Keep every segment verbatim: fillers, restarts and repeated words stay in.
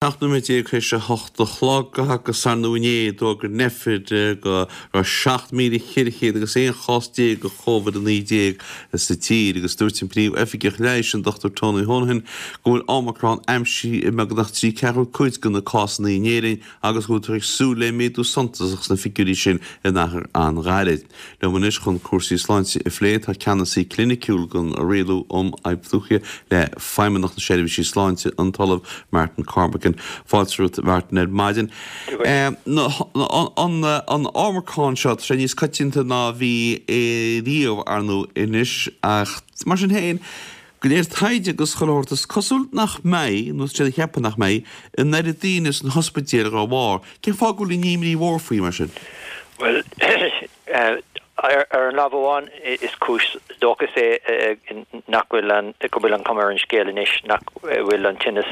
Seacht nóiméad déag tar éis a hocht a chlog agus ar ndóigh inné d'fhógair Nphet go raibh seacht míle ceithre chéad agus aon chás déag de Covid a naoi déag sa tír agus dúirt an Príomh-Oifigeach Leighis an Dochtúir Tony Honohan go bhfuil Omicron aimsithe i mbeagnach trí ceathrú cuid de na cásanna in Éirinn agus go bhfuiltear ag súil le méadú suntasach sna figiúirí sin in achar an-ghairid. Liom anois chun cúrsaí sláinte a phlé tá ceannasaí cliniciúil don Rialú um Fhadhb le Feidhmeannacht na Seirbhísí Sláinte an tOllamh Martin Cormican. Fáilte romhat Martin ar maidin. An Omicron seo tá sé níos coitianta ná bhí riamh ar ndóigh anois ach mar sin féin de réir taighde agus chuile shórt is cosúil nach mbeidh, nó tá siad ag ceapadh nach mbeidh, an oiread daoine san ospidéal dá bharr. Cén fáth go bhfuil an imní mhór faoi mar sin? Well ar an lámh amháin is cúis dóchais é nach bhfuil an go bhfuil an cuma ar an scéal anois nach bhfuil an tinneas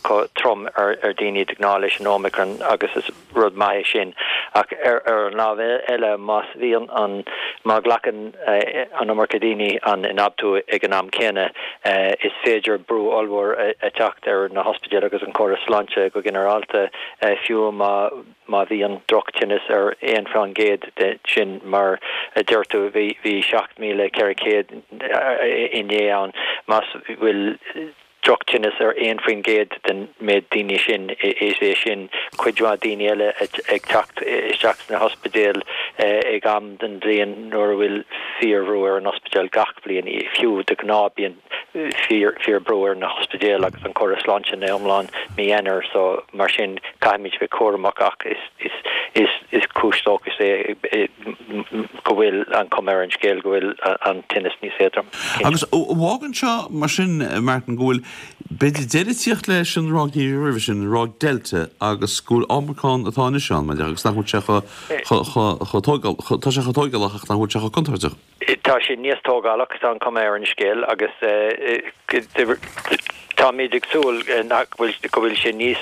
chomh trom ar ar daoine de ghnáth leis an Omicron agus is rud maith é sin ach ar ar an lámh eile más bhíonn an má ghlacann an iomarca daoine an ionfhabhtú ag an am céanna is féidir brú ollmhór a teacht ar na hospidéil agus an córas sláinte go ginearálta fiú má má bhíonn drochtinneas ar aon faoin gcéad de sin mar a deir tú bhí bhí seacht míle ceithre chéad inné ann más bhfuil drochtinneas ar aon faoin gcéad den méid daoine sin is é sin cuid mhaith daoine eile ag teacht isteach sna hospidéil ag am den bhliain nuair a bhfuil fíorbhrú ar an ospidéal gach bliain fiú de ghnáth bíonn fíor fíorbhrú ar na hospidéil agus an córas sláinte ina iomlán mí Eanáir so mar sin caithfimid bheith cúramach ach is is is is cúis dóchais é go bhfuil an cuma ar an scéal go bhfuil an tinneas níos éadrom. Agus fágann seo mar sin Martin go bhfuil b'fhéidir deireadh ag tíocht leis an ráig roimhe sin an ráig Delta agus go bhfuil Omicron atá anois ann mar agus nach bhfuil sé chomh tógálach tá sé chomh tógálach ach nach bhfuil sé chomh contúirteach. Tá sé níos tógálach tá an cuma ar an scéal agus táimid ag súil nach bhfuil go bhfuil sé níos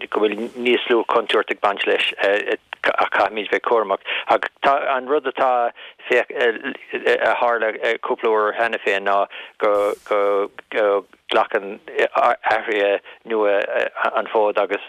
go bhfuil níos lú contúirt ag baint leis ach caithfimid bheith cúramach ach tá an rud atá féach a tharla cúpla uair cheana féin ná go go go nglacann athruithe nua an fód agus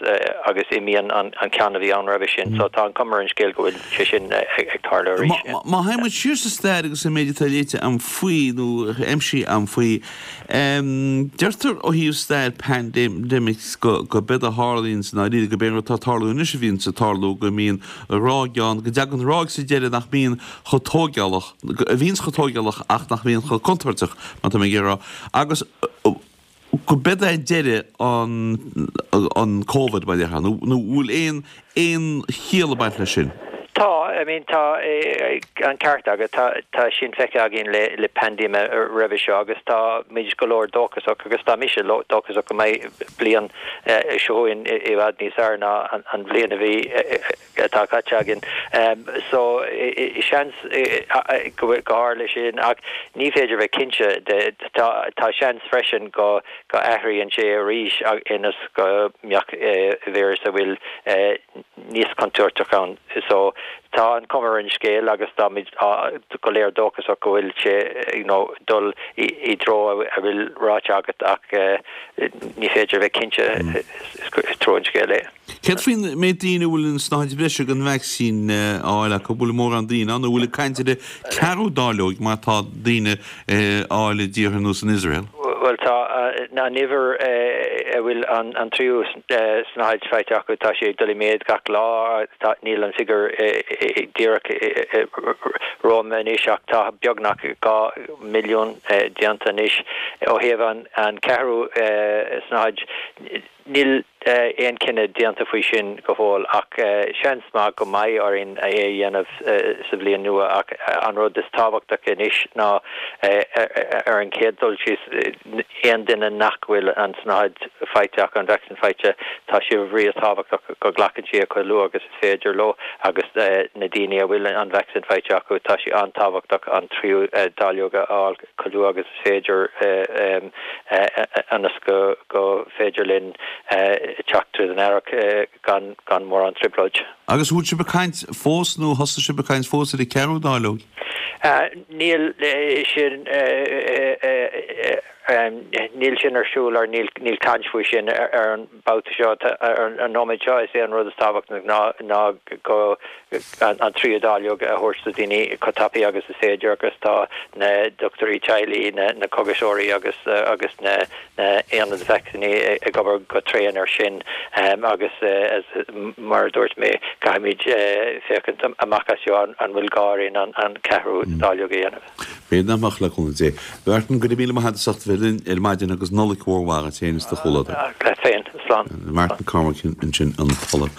agus imíonn an ceann a bhí ann roimhe sin so tá an cuma ar an scéal go bhfuil sé sin ag tarlú arís. Má théann muid siar sa stair agus an méid atá léite agam faoi nó aimsithe agam faoi deirtear ó thaobh stair pandemics go go b'éard a tharlaíonn san áiríre go b'é an rud atá ag tarlú anois a bhíonn ag tarlú go mbíonn ráig ann go dtagann ráig sa deireadh nach mbíonn chomh tógálach a bhíonn chomh tógálach ach nach mbíonn chomh contúirteach má tá mé ag rá agus go b'éard é deireadh an an Covid mar nó nó bhfuil aon aon chiall ag baint leis sin. Tá I mean tá an ceart agat tá tá sin feicthe againn le le paindéime roimhe seo agus tá muid go leor dóchasach agus tá mise dóchasach go mbeidh bliain seo i bhfad níos fearr ná an bhliain a bhí atá caite againn. So seans go dtarlóidh sin ach ní féidir bheith cinnte de tá seans freisin go go athraíonn sé arís ionas go mbeadh víreas a bhfuil níos contúirteach ann. So tá an cuma ar an scéal agus táimid go léir dóchasach go bhfuil sé you know, dul i dtreo a bhfuil ráite agat ach ní féidir bheith cinnte is trua an scéal é. Céard faoin méid daoine bhfuil an snáthaid bhreise den vacsaín á fháil acu bhfuil mórán daoine ann bhfuil ag caint ar ceathrú dáileog mar tá daoine á fháil i dtíortha ar nós an Iosrael. Well tá an uimhir a bhfuil an tríú snáthaid faighte acu tá sé dul i méid gach lá níl an figiúr díreach romham anois ach tá beagnach dhá milliún déanta anois ó thaobh an ceathrú snáthaid Níl aon cinneadh déanta faoi sin go fóill ach seans maith go mbeidh orainn é a dhéanamh sa bhliain nua ach an rud is tábhachtach anois ná ar an chéad dul síos aon duine nach bhfuil an tsnáthaid faighte acu an vacsaín faighte tá sé rí-thábhachtach go nglacann siad chomh luath agus is féidir leo agus na daoine a bhfuil an vacsaín faighte acu tá sé an-tábhachtach an tríú dáileog a fháil chomh luath agus is féidir ionas go go féidir linn teacht tríd an earrach gan gan mórán trioblóid. Agus bhfuil sibh ag caint fós nó thosaigh sibh ag caint fós ar an ceathrú dáileog? Níl sin Níl sin ar siúl ar níl níl caint faoi sin ar an mbabhta seo ar an nóiméad seo is é an rud is tábhachtaí ná ná go an tríú dáileog a thabhairt do dhaoine chomh tapaidh agus is féidir agus tá na dochtúirí teaghlaigh na na cógaiseoirí agus agus na na haonaid vacsaíní ag obair go tréan ar sin agus mar a dúirt mé caithfimid féachaint amach as seo an bhfuil gá orainn an an ceathrú dáileog a dhéanamh. B'fhéidir nach mbeadh le cúnamh Dé. Mhartin go raibh míle maith agat as ucht a bheith linn ar maidin agus Nollaig mhór mhaith duit féin is do chomhluadar. Leat féin, slán. Martin Cormack ansin an tOllamh.